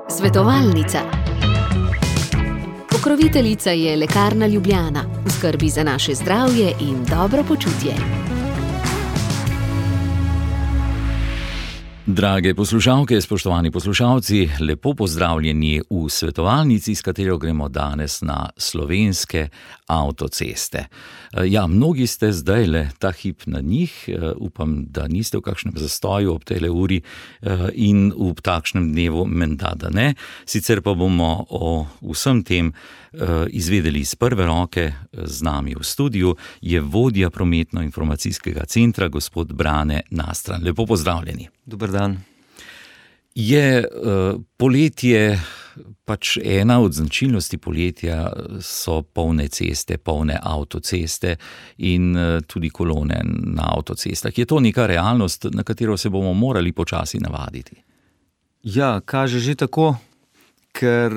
Svetovalnica. Pokroviteljica je Lekarna Ljubljana, v skrbi za naše zdravje in dobro počutje. Drage poslušalke, spoštovani poslušalci, lepo pozdravljeni v svetovalnici, s katero gremo danes na slovenske avtoceste. Ja, mnogi ste zdajle ta hip na njih, upam, da niste v kakšnem zastoju ob tejle uri in v takšnem dnevu menda, da ne. Sicer pa bomo o vsem tem izvedeli iz prve roke. Z nami v studiu je vodja prometno-informacijskega centra, gospod Brane Nastran. Lepo pozdravljeni. Dober dan. Je poletje pač ena od značilnosti poletja, so polne ceste, polne avtoceste in tudi kolone na avtocestah. Je to neka realnost, na katero se bomo morali počasi navaditi? Ja, kaže že tako, ker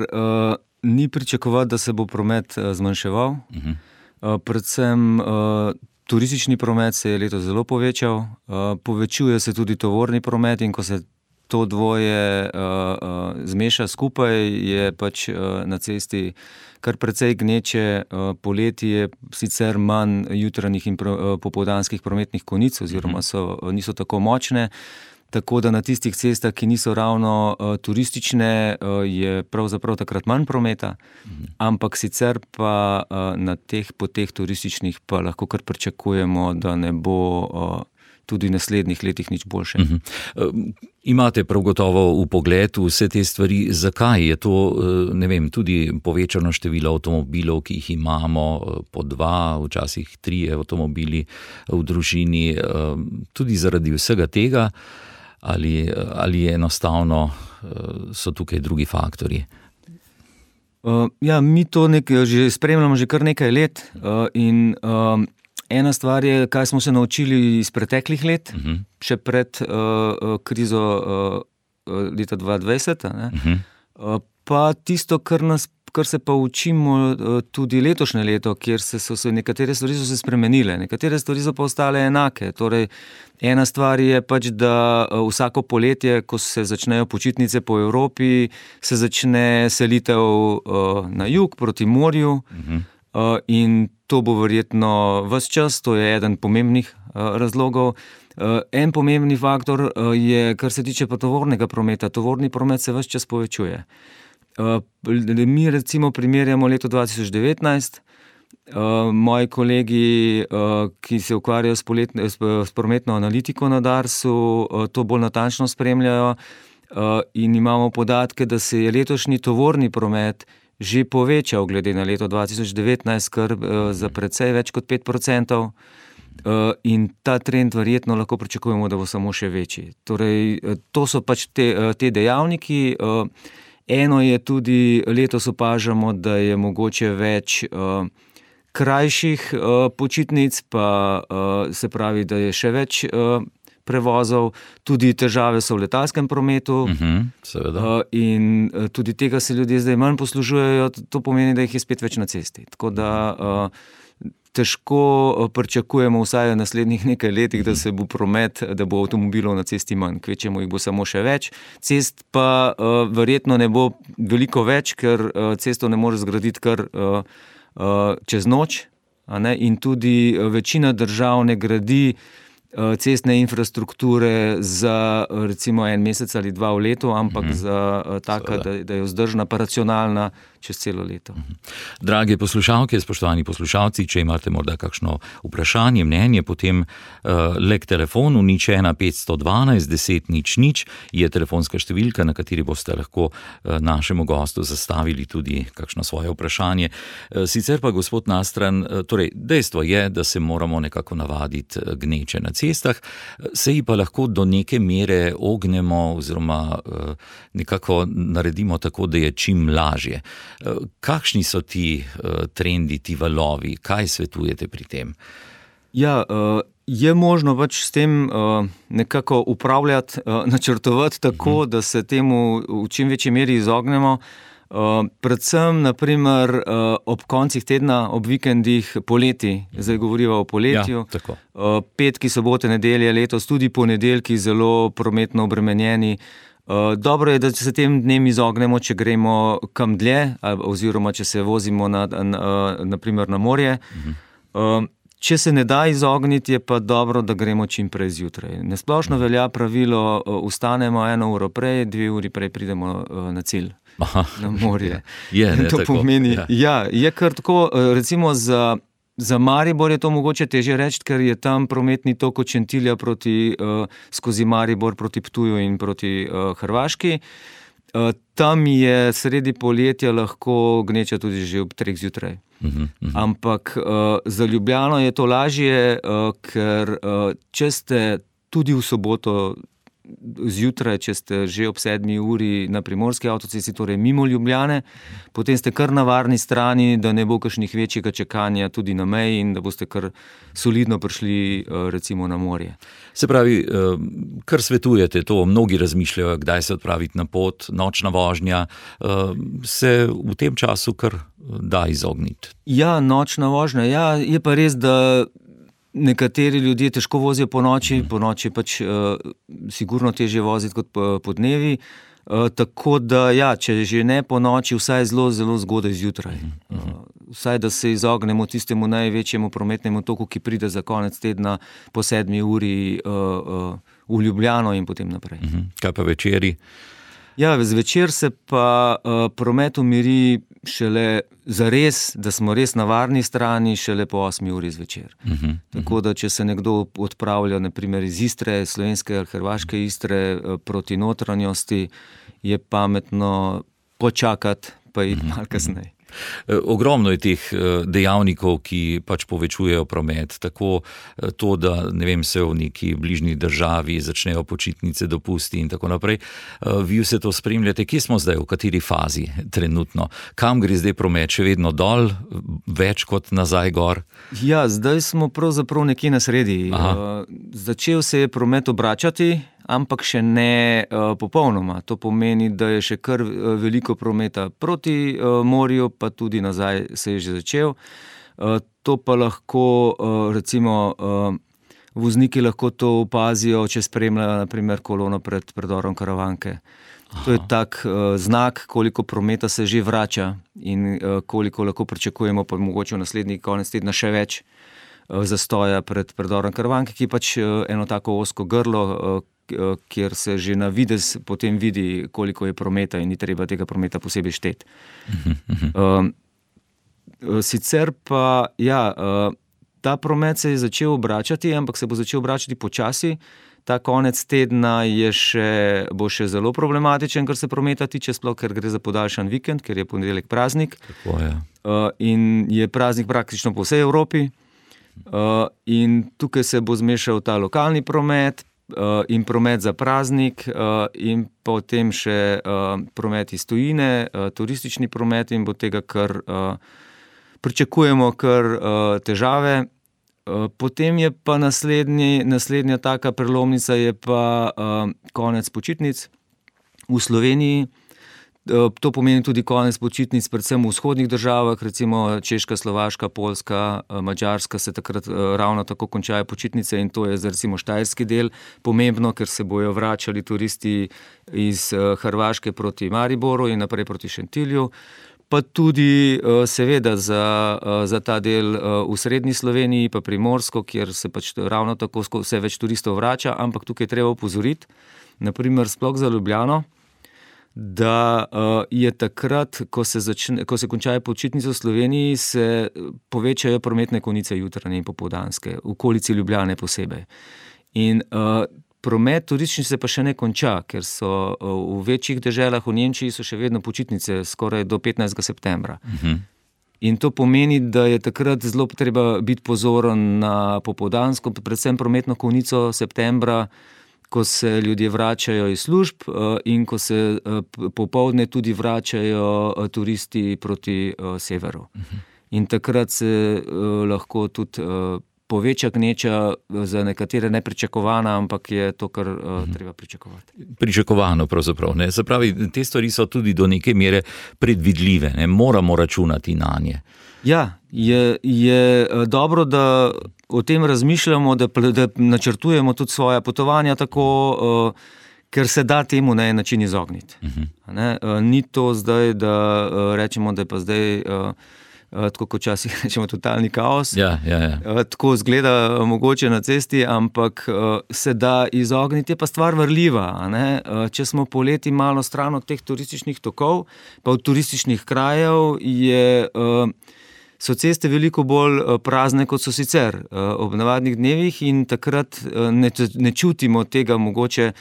ni pričakovati, da se bo promet zmanjševal. Predvsem turistični promet se je letos zelo povečal, povečuje se tudi tovorni promet in ko se to dvoje zmeša skupaj, je pač na cesti kar precej gneče. Poleti je sicer manj jutranjih in popoldanskih prometnih konic oziroma niso tako močne, tako da na tistih cestah, ki niso ravno turistične, je pravzaprav takrat manj prometa, ampak sicer pa na teh poteh turističnih pa lahko kar pričakujemo, da ne bo tudi v naslednjih letih nič boljše. Imate prav gotovo v pogledu vse te stvari. Zakaj je to, ne vem, tudi povečano število avtomobilov, ki jih imamo, po 2, včasih 3 avtomobili v družini, tudi zaradi vsega tega, ali enostavno so tukaj drugi faktorji? Ja, mi to že spremljamo že kar nekaj let in ena stvar je, kaj smo se naučili iz preteklih let, še pred krizo leta 2020, pa tisto, kar se pa učimo tudi letošnje leto, kjer so se nekatere stvari spremenile, nekatere stvari so pa ostale enake. Torej, ena stvar je pač, da vsako poletje, ko se začnejo počitnice po Evropi, se začne selitev na jug proti morju, in to bo verjetno ves čas, to je eden pomembnih razlogov. En pomembni faktor je, kar se tiče pa tovornega prometa. Tovorni promet se ves čas povečuje. Mi recimo primerjamo leto 2019, moji kolegi, ki se ukvarjajo s prometno analitiko na Darsu, to bolj natančno spremljajo in imamo podatke, da se je letošnji tovorni promet že povečal glede na leto 2019, kar za precej več kot 5%, in ta trend verjetno lahko pričakujemo, da bo samo še večji. Torej, to so pač te dejavniki. Eno je tudi, letos opažamo, da je mogoče več krajših počitnic, pa se pravi, da je še več prevozov, tudi težave so v letalskem prometu, in tudi tega se ljudje zdaj manj poslužujejo, to pomeni, da jih je spet več na cesti. Tako da težko pričakujemo vsaj v naslednjih nekaj letih, da se bo promet, da bo avtomobilov na cesti manj, kvečjemu jih bo samo še več. Cest pa verjetno ne bo veliko več, ker cesto ne more zgraditi kar čez noč, in tudi večina držav ne gradi cestne infrastrukture za recimo 1 mesec ali 2 v letu, ampak za taka, da je vzdržna pa racionalna čez celo leto. Drage poslušalke, spoštovani poslušalci, če imate morda kakšno vprašanje, mnenje, potem le k telefonu 01 512 10 00 je telefonska številka, na kateri boste lahko našemu gostu zastavili tudi kakšno svoje vprašanje. Sicer pa, gospod Nastran, torej dejstvo je, da se moramo nekako navaditi gneče na cestah, se ji pa lahko do neke mere ognemo oziroma nekako naredimo tako, da je čim lažje. Kakšni so ti trendi, ti valovi? Kaj svetujete pri tem? Ja, je možno pač s tem nekako upravljati, načrtovati tako, da se temu v čim večji meri izognemo. Predvsem, naprimer, ob koncih tedna, ob vikendih, poleti, zdaj govoriva o poletju, petki, sobote, nedelje, letos, tudi ponedeljki zelo prometno obremenjeni, Dobro je, da se tem dnem izognemo, če gremo kam dlje, oziroma če se vozimo naprimer na morje. Če se ne da izogniti, je pa dobro, da gremo čim prej zjutraj. Nasplošno velja pravilo, vstanemo 1 uro prej, 2 uri prej pridemo na cilj. Na morje. To pomeni, je kar tako, recimo za Maribor je to mogoče težje reči, ker je tam prometni tok od Šentilja skozi Maribor proti Ptuju in proti Hrvaški. Tam je sredi poletja lahko gneča tudi že ob 3 zjutraj. Ampak za Ljubljano je to lažje, ker če ste tudi v soboto zjutraj, če ste že ob 7 uri na Primorski avtocesti, torej mimo Ljubljane, potem ste kar na varni strani, da ne bo kakšnih večjega čakanja tudi na meji in da boste kar solidno prišli recimo na morje. Se pravi, kar svetujete to, mnogi razmišljajo, kdaj se odpraviti na pot, nočna vožnja, se v tem času kar da izogniti. Ja, nočna vožnja, je pa res, da nekateri ljudje težko vozijo po noči pač sigurno težje voziti kot po dnevi, tako da če že ne po noči, vsaj zelo, zelo zgodaj zjutraj. Vsaj, da se izognemo tistemu največjemu prometnemu toku, ki pride za konec tedna po 7 uri v Ljubljano in potem naprej. Kaj pa večeri? Zvečer se pa promet umiri šele zares, da smo res na varni strani, šele po 8 uri zvečer. Tako da, če se nekdo odpravlja naprimer iz Istre, slovenske ali hrvaške Istre proti notranjosti, je pametno počakati pa iti malo kasneje. Ogromno je teh dejavnikov, ki pač povečujejo promet, tako to, da se v neki bližnji državi začnejo počitnice, dopusti in tako naprej. Vi vse to spremljate, kje smo zdaj, v kateri fazi trenutno? Kam gre zdaj promet? Še vedno dol, več kot nazaj gor? Zdaj smo pravzaprav nekje na sredi. Začel se je promet obračati, ampak še ne popolnoma. To pomeni, da je še kar veliko prometa proti morju, pa tudi nazaj se je že začel. To pa lahko, recimo, vozniki lahko to opazijo, če spremljajo naprimer kolono pred predorom Karavanke. To je tak znak, koliko prometa se že vrača in koliko lahko pričakujemo, pa mogoče v naslednji konec tedna še več zastoja pred predorom Karavanke, ki je pač eno tako ozko grlo, kjer se že na videz potem vidi, koliko je prometa in ni treba tega prometa posebej šteti. Sicer pa, ta promet se je začel obračati, ampak se bo začel obračati počasi. Ta konec tedna bo še zelo problematičen, kar se prometa tiče, sploh ker gre za podaljšan vikend, ker je ponedeljek praznik. Tako je. In je praznik praktično po vsej Evropi. In tukaj se bo zmešal ta lokalni promet in promet za praznik in potem še promet iz tujine, turistični promet in bo tega kar pričakujemo kar težave. Potem je pa naslednja taka prelomnica je pa konec počitnic v Sloveniji. To pomeni tudi konec počitnic predvsem v vzhodnih državah, recimo Češka, Slovaška, Poljska, Madžarska se takrat ravno tako končajo počitnice in to je za recimo štajerski del pomembno, ker se bojo vračali turisti iz Hrvaške proti Mariboru in naprej proti Šentilju. Pa tudi seveda za ta del v srednji Sloveniji, pa Primorsko, kjer se pač ravno tako vse več turistov vrača, ampak tukaj je treba opozoriti, naprimer sploh za Ljubljano, da je takrat, ko se končajo počitnice v Sloveniji, se povečajo prometne konice jutranje in popoldanske, v okolici Ljubljane posebej. In promet turistični se pa še ne konča, ker so v večjih deželah v Nemčiji so še vedno počitnice skoraj do 15. septembra. In to pomeni, da je takrat zelo treba biti pozoren na popoldansko, predvsem prometno konico septembra, ko se ljudje vračajo iz služb in ko se popoldne tudi vračajo turisti proti severu. In takrat se lahko tudi poveča gneča, za nekatere nepričakovana, ampak je to, kar treba pričakovati. Pričakovano pravzaprav, ne? Se pravi, te stvari so tudi do neke mere predvidljive, ne? Moramo računati na nje. Je dobro, da o tem razmišljamo, da načrtujemo tudi svoja potovanja tako, ker se da temu na en način izogniti. Ni to zdaj, da rečemo, da je pa zdaj, tako kot včasih rečemo, totalni kaos. Tako izgleda mogoče na cesti, ampak se da izogniti, je pa stvar varljiva. Če smo poleti malo stran od teh turističnih tokov, pa od turističnih krajev, so ceste veliko bolj prazne, kot so sicer ob navadnih dnevih, in takrat ne čutimo tega mogoče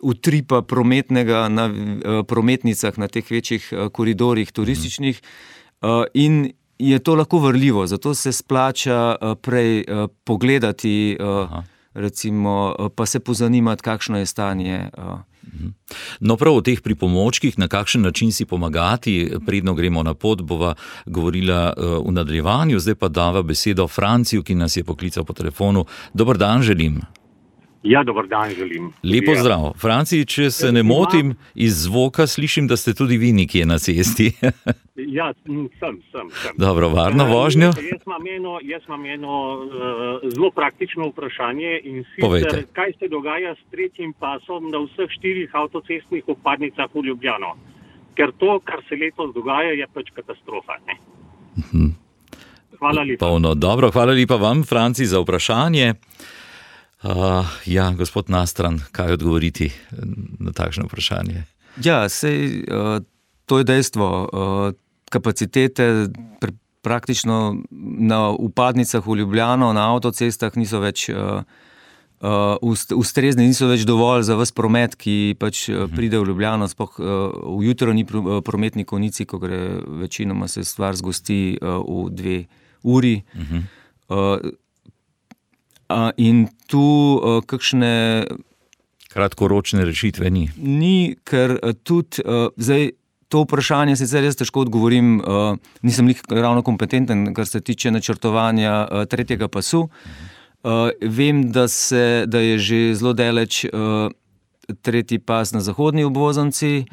utripa prometnega na prometnicah, na teh večjih koridorjih turističnih, in je to lahko varljivo, zato se splača prej pogledati, recimo, pa se pozanimati, kakšno je stanje. No, prav o teh pripomočkih, na kakšen način si pomagati, predno gremo na pot, bova govorila v nadaljevanju, zdaj pa dava besedo Franciju, ki nas je poklical po telefonu. Dober dan želim. Ja, dober dan želim. Lepo zdrav. Franci, če se ne motim, iz zvoka slišim, da ste tudi vi nekje na cesti. Ja, sem. Dobro, varno vožnjo. Jaz imam eno zelo praktično vprašanje, in sicer, kaj se dogaja s tretjim pasom na vseh 4 avtocestnih vpadnicah v Ljubljano? Ker to, kar se letos dogaja, je pač katastrofa. Hvala lepa. Dobro, hvala lepa vam, Franci, za vprašanje. Gospod Nastran, kaj odgovoriti na takšno vprašanje? Ja, sej, to je dejstvo. Kapacitete praktično na vpadnicah v Ljubljano, na avtocestah niso več ustrezni, niso več dovolj za ves promet, ki pač pride v Ljubljano, sploh v jutranji prometni konici, ko gre večinoma, se stvar zgosti v 2 uri. In tu kakšne kratkoročne rešitve ni. Ni, ker tudi zdaj to vprašanje sicer jaz težko odgovorim, nisem ravno kompetenten, kar se tiče načrtovanja tretjega pasu. Vem, da je že zelo daleč tretji pas na zahodni obvoznici.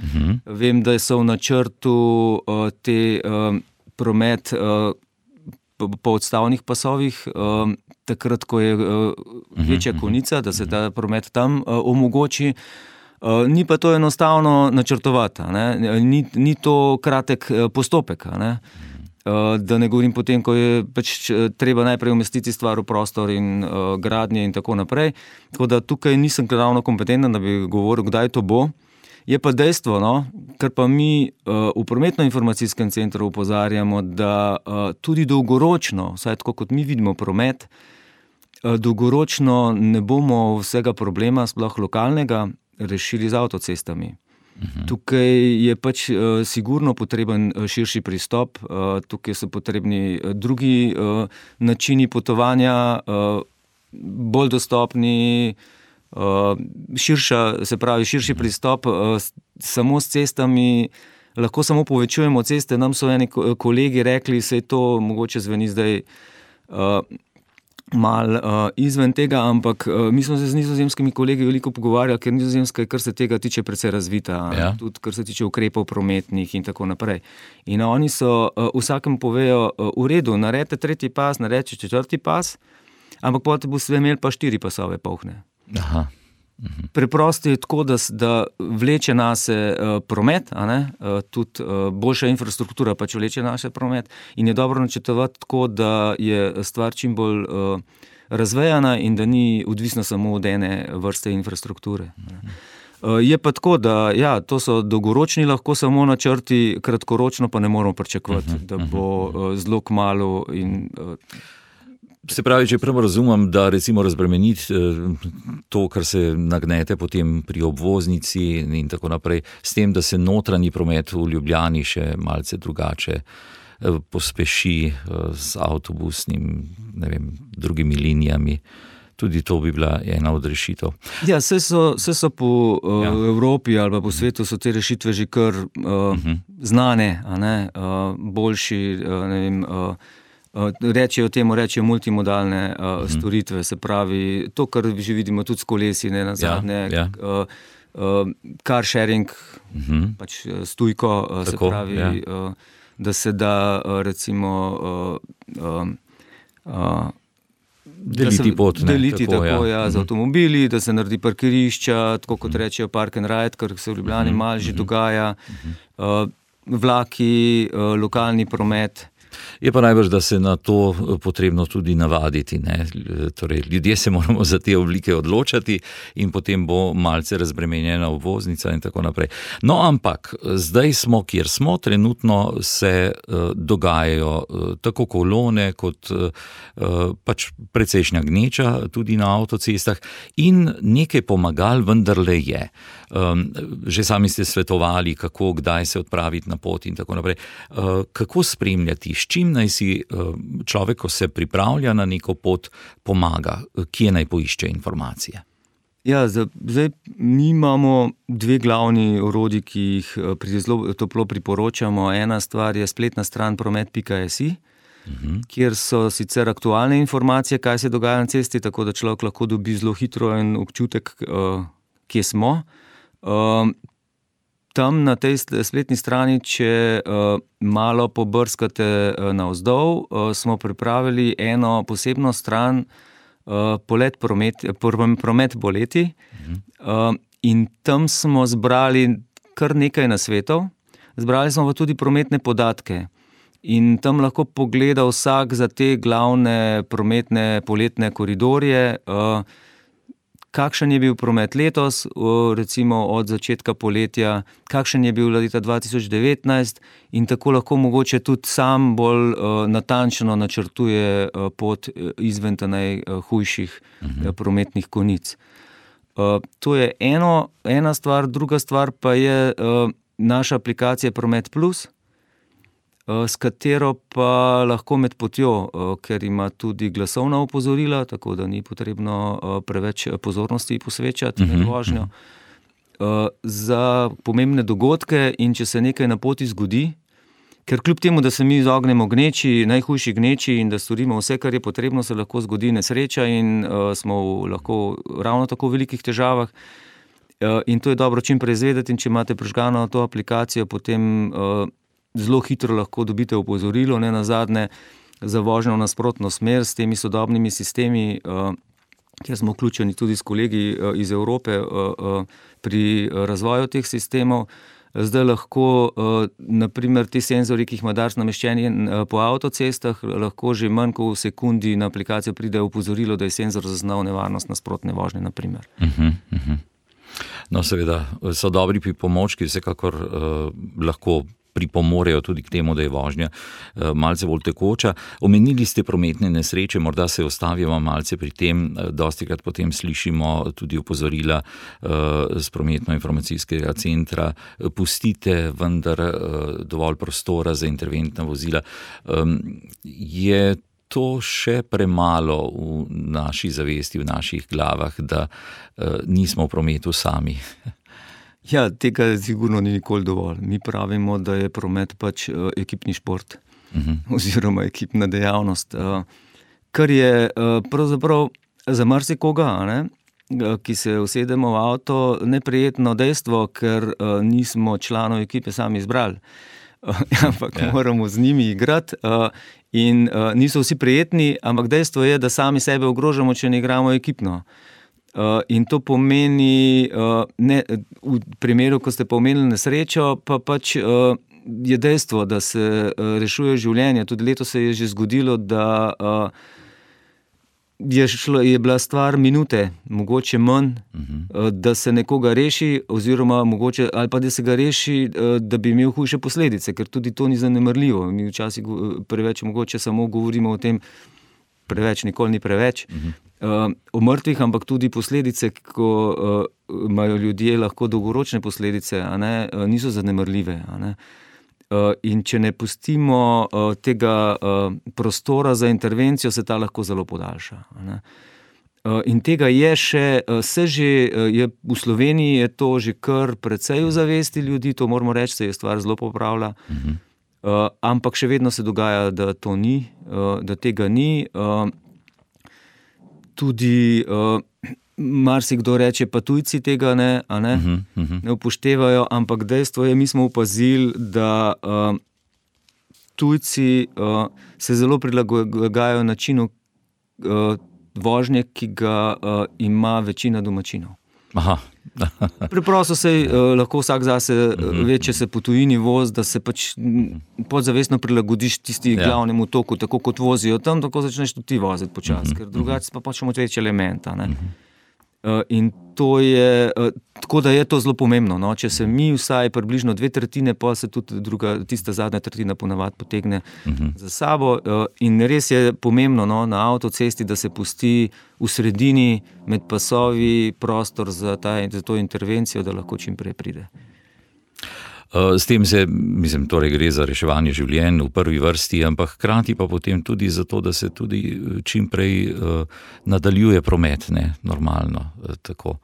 Vem, da so v načrtu te promet po odstavnih pasovih, takrat, ko je večja konica, da se ta promet tam omogoči. Ni pa to enostavno načrtovati. Ni to kratek postopek. Da ne govorim potem, ko je pač treba najprej umestiti stvar v prostor in gradnje in tako naprej. Tako da tukaj nisem ravno kompetenten, da bi govoril, kdaj to bo. Je pa dejstvo, ker pa mi v prometno-informacijskem centru opozarjamo, da tudi dolgoročno, vsaj tako kot mi vidimo promet, dolgoročno ne bomo vsega problema, sploh lokalnega, rešili z avtocestami. Tukaj je pač sigurno potreben širši pristop, tukaj so potrebni drugi načini potovanja, bolj dostopni, širši pristop. Samo s cestami lahko samo povečujemo ceste. Nam so eni kolegi rekli, se je to mogoče zveni zdaj malo izven tega, ampak mi smo se z nizozemskimi kolegi veliko pogovarjali, ker Nizozemska je, kar se tega tiče, precej razvita, tudi kar se tiče ukrepov prometnih in tako naprej. In oni so vsakem povejo, v redu, naredite tretji pas, naredite četrti pas, ampak potem boste imeli pa 4 pasove polhne. Preprosto je tako, da vleče nase promet, tudi boljša infrastruktura pač vleče nase promet, in je dobro načrtovati tako, da je stvar čim bolj razvejana in da ni odvisna samo od ene vrste infrastrukture. Je pa tako, da to so dolgoročni lahko samo načrti, kratkoročno pa ne moramo pričakovati, da bo zelo kmalu in Se pravi, če prav razumem, da recimo razbremeniti to, kar se nagnete potem pri obvoznici in tako naprej, s tem, da se notranji promet v Ljubljani še malce drugače pospeši z avtobusnim, drugimi linijami. Tudi to bi bila ena od rešitev. Ja, vse so po Evropi ali pa po svetu so te rešitve že kar znane, boljši, rečejo multimodalne storitve, se pravi, to, kar že vidimo tudi s kolesi, nazadnje, car sharing, pač s tujko, se pravi, da se da recimo deliti pot. Deliti tako, z avtomobili, da se naredi parkirišča, tako kot rečejo park and ride, kar se v Ljubljani malo že dogaja, vlaki, lokalni promet. Je pa najbrž, da se na to potrebno tudi navaditi, ne? Torej, ljudje se moramo za te oblike odločati in potem bo malce razbremenjena obvoznica in tako naprej. No, ampak zdaj smo, kjer smo, trenutno se dogajajo tako kolone kot pač precejšnja gneča tudi na avtocestah in nekaj pomagal vendarle je. Že sami ste svetovali, kako, kdaj se odpraviti na pot in tako naprej. Kako spremljati, s čim naj si človek, ko se pripravlja na neko pot, pomaga, kje naj poišče informacije? Ja, zdaj mi imamo dve glavni orodji, ki jih zelo toplo priporočamo. Ena stvar je spletna stran promet.si, kjer so sicer aktualne informacije, kaj se dogaja na cesti, tako da človek lahko dobi zelo hitro en občutek, kje smo. Tam na tej spletni strani, če malo pobrskate navzdol, smo pripravili eno posebno stran, promet boleti, in tam smo zbrali kar nekaj nasvetov. Zbrali smo pa tudi prometne podatke in tam lahko pogleda vsak za te glavne prometne poletne koridorje, kakšen je bil promet letos, recimo od začetka poletja, kakšen je bil leta 2019 in tako lahko mogoče tudi sam bolj natančno načrtuje pot izven najhujših prometnih konic. To je ena stvar, druga stvar pa je naša aplikacija Promet Plus, s katero pa lahko med potjo, ker ima tudi glasovna opozorila, tako da ni potrebno preveč pozornosti posvečati med vožnjo, za pomembne dogodke in če se nekaj na poti zgodi, ker kljub temu, da se mi izognemo gneči, najhujši gneči in da storimo vse, kar je potrebno, se lahko zgodi nesreča in smo lahko ravno tako v velikih težavah. In to je dobro čim prej izvedeti in če imate prižgano to aplikacijo, potem zelo hitro lahko dobite opozorilo, ne nazadnje za vožnjo v nasprotno smer s temi sodobnimi sistemi, kjer smo vključeni tudi s kolegi iz Evrope pri razvoju teh sistemov. Zdaj lahko, naprimer, ti senzori, ki jih ima Dars nameščeni po avtocestah, lahko že manj kot v sekundi na aplikacijo pride opozorilo, da je senzor zaznal nevarnost nasprotne vožnje, naprimer. No, seveda, so dobri pripomočki, vsekakor lahko pripomorejo tudi k temu, da je vožnja malce bolj tekoča. Omenili ste prometne nesreče, morda se ostavimo malce pri tem, dostikrat potem slišimo tudi opozorila z prometno-informacijskega centra, pustite vendar dovolj prostora za interventna vozila. Je to še premalo v naši zavesti, v naših glavah, da nismo v prometu sami? Ja, tega sigurno ni nikoli dovolj. Mi pravimo, da je promet pač ekipni šport oziroma ekipna dejavnost, kar je pravzaprav za marsikoga, ki se usedemo v avto, neprijetno dejstvo, ker nismo članov ekipe sami izbrali, ampak moramo z njimi igrati in niso vsi prijetni, ampak dejstvo je, da sami sebe ogrožamo, če ne igramo ekipno. In to pomeni, v primeru, ko ste pa omenili nesrečo, pa pač je dejstvo, da se rešuje življenje. Tudi letos se je že zgodilo, da je bila stvar minute, mogoče manj, da se nekoga reši, oziroma mogoče, ali pa da se ga reši, da bi imel hujše posledice, ker tudi to ni zanemarljivo. Mi včasih preveč mogoče samo govorimo o tem, preveč, nikoli ni preveč, o mrtvih, ampak tudi posledice, ko imajo ljudje lahko dolgoročne posledice, niso zanemarljive. In če ne pustimo tega prostora za intervencijo, se ta lahko zelo podaljša. In tega je še, v Sloveniji je to že kar precej v zavesti ljudi, to moramo reči, se je stvar zelo popravila, ampak še vedno se dogaja, da to ni, da tega ni. Tudi marsikdo reče, pa tujci tega ne upoštevajo, ampak dejstvo je, mi smo opazili, da tujci se zelo prilagajajo načinu vožnje, ki ga ima večina domačinov. Aha. Preprosto se lahko vsak zase ve, če se po tujini vozi, da se pač podzavestno prilagodiš tisti glavnemu toku, tako kot vozijo tam, tako začneš tudi ti voziti počasi, ker drugače pa pač moč elementa. Ne? In to je, tako da je to zelo pomembno. No? Če se mi vsaj približno 2/3, pa se tudi tista zadnja tretjina ponavadi potegne za sabo. In res je pomembno na avtocesti, da se pusti v sredini med pasovi prostor za to intervencijo, da lahko čim prej pride. S tem torej gre za reševanje življenj v prvi vrsti, ampak hkrati pa potem tudi za to, da se tudi čim prej nadaljuje promet, ne, normalno, tako.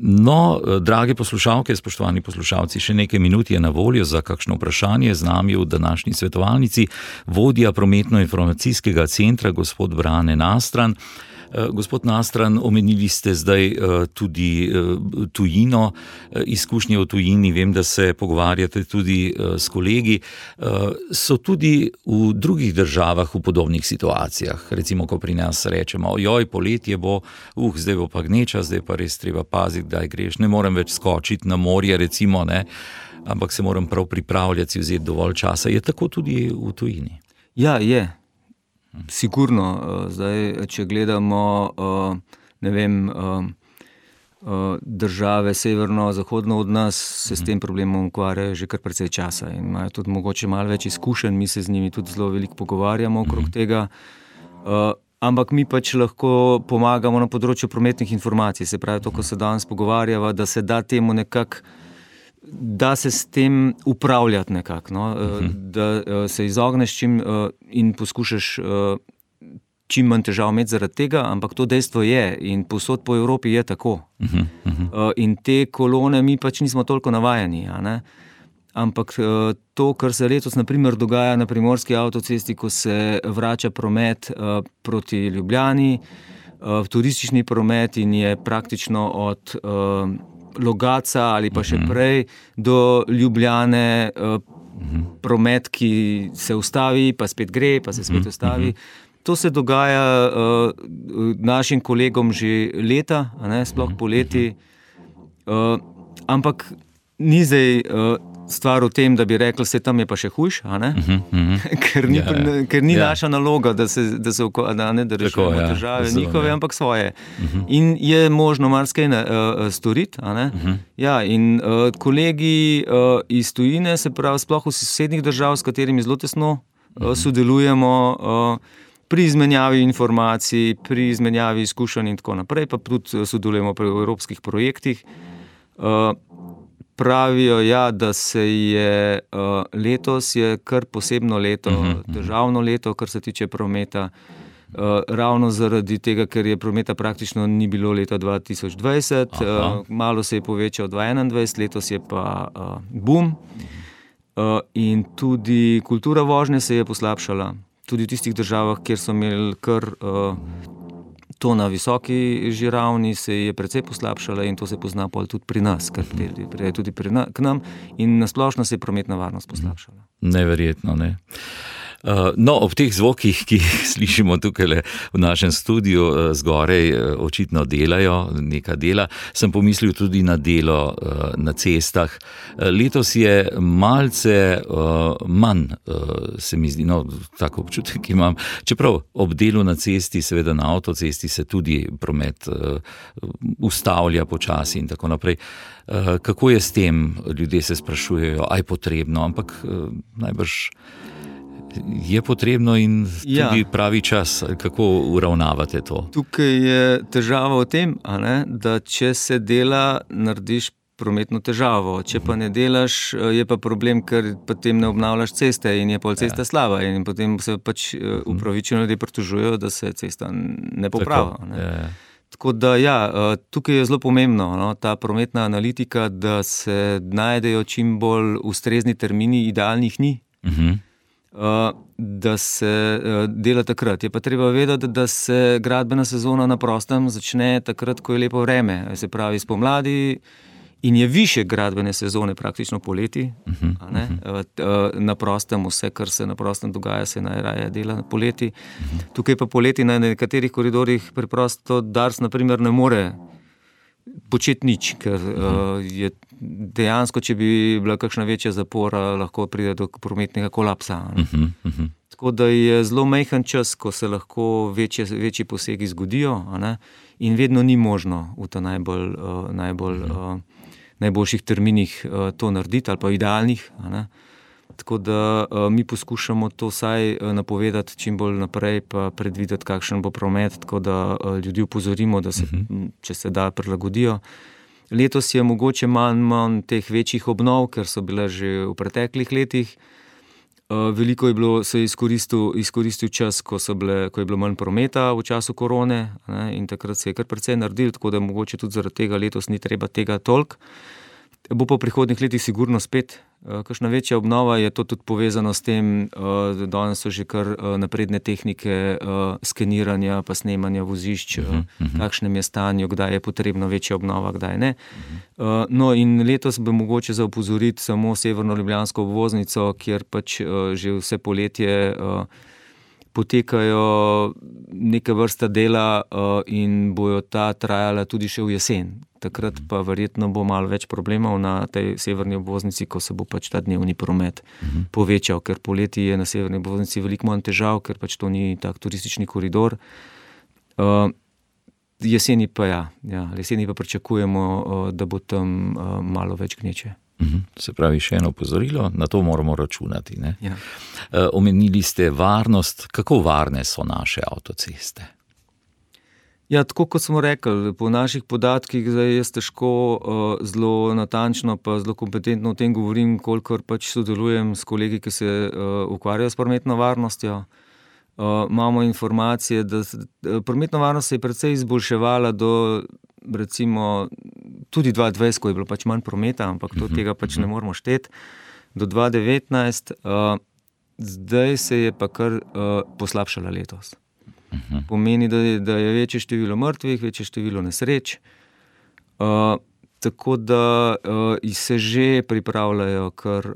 No, drage poslušalke, spoštovani poslušalci, še nekaj minut je na voljo za kakšno vprašanje. Z nami v današnji svetovalnici vodja prometno-informacijskega centra, gospod Brane Nastran. Gospod Nastran, omenili ste zdaj tudi tujino, izkušnje v tujini, vem, da se pogovarjate tudi s kolegi. So tudi v drugih državah v podobnih situacijah, recimo, ko pri nas rečemo, poletje bo, zdaj bo pa gneča, zdaj pa res treba paziti, kdaj greš, ne morem več skočiti na morje, recimo, ne, ampak se moram prav pripravljati, si vzeti dovolj časa. Je tako tudi v tujini? Ja, je. Sigurno, zdaj, če gledamo, ne vem, države severno-zahodno od nas, se s tem problemom ukvarjajo že kar precej časa in imajo tudi mogoče malo več izkušenj, mi se z njimi tudi zelo veliko pogovarjamo okrog tega, ampak mi pač lahko pomagamo na področju prometnih informacij, se pravi to, ko se danes pogovarjava, da se da temu nekako, da se s tem upravljati nekako, no? Da se izogneš in poskušaš čim manj težav imeti zaradi tega, ampak to dejstvo je in povsod po Evropi je tako. In te kolone mi pač nismo toliko navajeni, a ne? Ampak to, kar se letos na primer dogaja na primorski avtocesti, ko se vrača promet proti Ljubljani, turistični promet in je praktično od Logatca ali pa še prej do Ljubljane promet, ki se ustavi, pa spet gre, pa se spet ustavi. To se dogaja našim kolegom že leta, a ne, sploh poleti, ampak ni zdaj stvar v tem, da bi rekli, se tam je pa še hujš, a ne? Ker ni naša naloga, da rešujemo težave njihove, ampak svoje. In je možno marsikaj storiti, a ne? Ja, in kolegi iz tujine, se pravi, sploh v sosednjih držav, s katerimi zelo tesno sodelujemo pri izmenjavi informacij, pri izmenjavi izkušenj in tako naprej, pa tudi sodelujemo pri evropskih projektih. Pravijo, ja, da se je letos je kar posebno leto, težavno leto, kar se tiče prometa, ravno zaradi tega, ker je prometa praktično ni bilo leta 2020, malo se je povečal 2021, letos je pa boom. In tudi kultura vožnje se je poslabšala, tudi v tistih državah, kjer so imeli kar to na visoki že ravni, se je precej poslabšala in to se pozna pol tudi pri nas, kar pride tudi k nam in nasplošno se je prometna varnost poslabšala. Neverjetno, ne. No, ob teh zvokih, ki jih slišimo tukaj v našem studiu zgorej, očitno delajo, neka dela, sem pomislil tudi na delo na cestah. Letos je malce manj, se mi zdi, no, tako občutek imam, čeprav ob delu na cesti, seveda na avtocesti se tudi promet ustavlja počasi in tako naprej. Kako je s tem? Ljudje se sprašujejo, a je potrebno, ampak najbrž je potrebno in tudi pravi čas, kako uravnavate to? Tukaj je težava v tem, a ne, da če se dela, narediš prometno težavo. Če pa ne delaš, je pa problem, ker potem ne obnavljaš ceste in je pol cesta slaba in potem se pač upravičeno ljudje pritožujejo, da se cesta ne popravlja. Tako da tukaj je zelo pomembno, no, ta prometna analitika, da se najdejo čim bolj ustrezni termini, idealnih ni. Da se dela takrat. Je pa treba vedeti, da se gradbena sezona na prostem začne takrat, ko je lepo vreme, se pravi spomladi in je više gradbene sezone praktično poleti, na prostem vse, kar se na prostem dogaja, se najraje dela poleti. Tukaj pa poleti na nekaterih koridorjih preprosto Dars naprimer ne more početi nič, ker je dejansko, če bi bila kakšna večja zapora, lahko pride do prometnega kolapsa. Tako da je zelo majhen čas, ko se lahko večji posegi zgodijo, in vedno ni možno v ta najboljših terminih to narediti, ali pa idealnih. Tako da mi poskušamo to vsaj napovedati čim bolj naprej, pa predvideti, kakšen bo promet, tako da ljudi upozorimo, da se, če se da, prilagodijo. Letos je mogoče manj teh večjih obnov, ker so bile že v preteklih letih. Veliko je bilo, se je izkoristil čas, ko je bilo manj prometa v času korone, in takrat se je kar precej naredil, tako da mogoče tudi zaradi tega letos ni treba tega toliko. Bo pa v prihodnjih letih sigurno spet kakšna večja obnova, je to tudi povezano s tem, da danes so že kar napredne tehnike skeniranja pa snemanja vozišč, kakšnem je stanju, kdaj je potrebno večja obnova, kdaj ne. No in letos bi mogoče za opozoriti samo severno ljubljansko obvoznico, kjer pač že vse poletje potekajo neke vrste dela in bojo ta trajala tudi še v jesen. Takrat pa verjetno bo malo več problemov na tej severni obvoznici, ko se bo pač ta dnevni promet povečal, ker poleti je na severni obvoznici veliko manj težav, ker pač to ni tak turistični koridor. Jeseni pa jeseni pa pričakujemo, da bo tam malo več gneče. Se pravi, še eno opozorilo, na to moramo računati. Ne? Ja. Omenili ste varnost, kako varne so naše avtoceste? Ja, tako kot smo rekli, po naših podatkih, zdaj jaz težko zelo natančno pa zelo kompetentno o tem govorim, kolikor pač sodelujem s kolegi, ki se ukvarjajo s prometno varnostjo. Imamo informacije, da prometna varnost se je precej izboljševala do, recimo, tudi 2020, ko je bilo pač manj prometa, ampak tega pač ne moramo šteti, do 2019, zdaj se je pa kar poslabšala letos. Pomeni, da je večje število mrtvih, večje število nesreč, tako da se že pripravljajo kar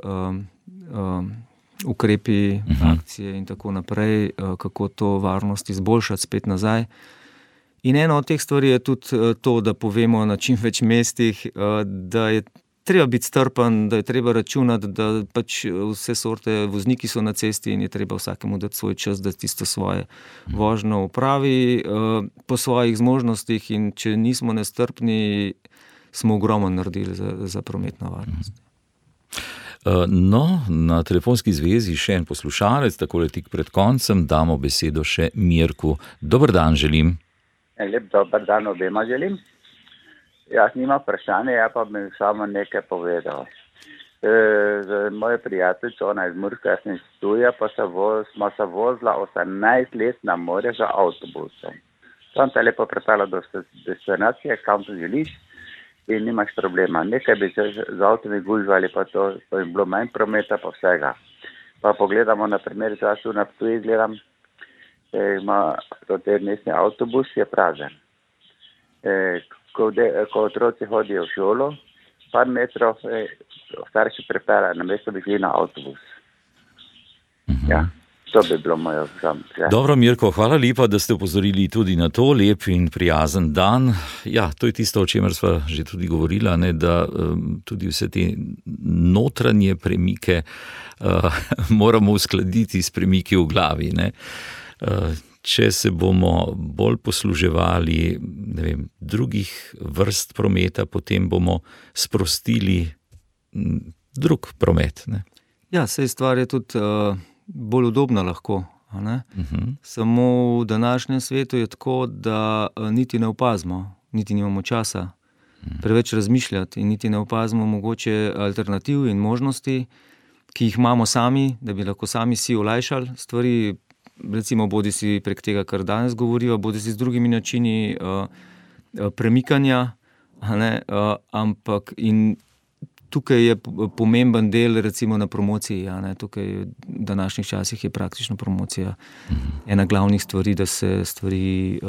ukrepi, akcije in tako naprej, kako to varnost izboljšati spet nazaj. In ena od teh stvari je tudi to, da povemo na čim več mestih, da je treba biti strpen, da je treba računati, da pač vse sorte vozniki so na cesti in je treba vsakemu dati svoj čas, da tisto svoje vožnjo opravi po svojih zmožnostih, in če nismo nestrpni, smo ogromno naredili za prometno varnost. No, na telefonski zvezi še en poslušalec, takole tik pred koncem, damo besedo še Mirku. Dober dan želim. Lep dober dan obema želim. Jaz nimam vprašanje, ja pa bi samo nekaj povedal. Moja prijateljica, ona iz Murske, jaz sem iz Ptuja, pa smo se vozila 18 let na morje za avtobusom. Tam te lepo pripela do destinacije, kam to želiš, in nimaš problema. Nekaj bi se z avtomi gužvali, pa to je bilo manj prometa, pa vsega. Pa pogledamo na primer, jaz tu na Ptuji gledam, ima te mestni avtobus, je prazen. Ko otroci hodijo v šolo, par metrov starši pripeljajo, namesto bi šli na avtobus. Ja, to bi bilo moje vsem. Dobro, Mirko, hvala lepa, da ste upozorili tudi na to, lep in prijazen dan. Ja, to je tisto, o čemer sva že tudi govorila, ne, da tudi vse te notranje premike moramo uskladiti s premiki v glavi, ne. Če se bomo bolj posluževali, ne vem, drugih vrst prometa, potem bomo sprostili drug promet, ne. Ja, saj stvar je tudi bolj udobna lahko, ne. Samo v današnjem svetu je tako, da niti ne opazimo, niti nimamo časa preveč razmišljati in niti ne opazimo mogoče alternativ in možnosti, ki jih imamo sami, da bi lahko sami si olajšali stvari, recimo bodi si prek tega, kar danes govorijo, bodi si z drugimi načini premikanja, ampak in tukaj je pomemben del recimo na promociji. Ja, ne? Tukaj v današnjih časih je praktično promocija ena glavnih stvari, da se stvari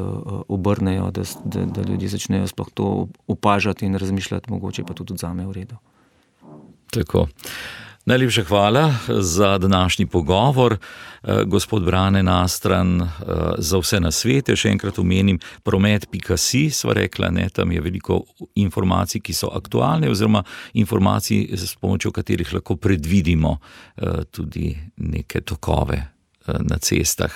obrnejo, da ljudje začnejo sploh to opažati in razmišljati, mogoče pa tudi odzamejo v redu. Tako. Najlepša hvala za današnji pogovor. Gospod Brane Nastran, za vse nasvete, še enkrat omenim promet.si, sva rekla, ne, tam je veliko informacij, ki so aktualne, oziroma informacij, s pomočjo katerih lahko predvidimo tudi neke tokove na cestah.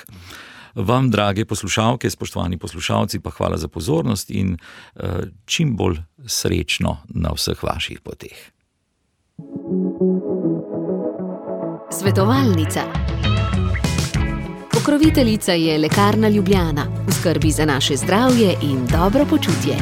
Vam, drage poslušalke, spoštovani poslušalci, pa hvala za pozornost in čim bolj srečno na vseh vaših poteh. Svetovalnica. Pokroviteljica je Lekarna Ljubljana, v skrbi za naše zdravje in dobro počutje.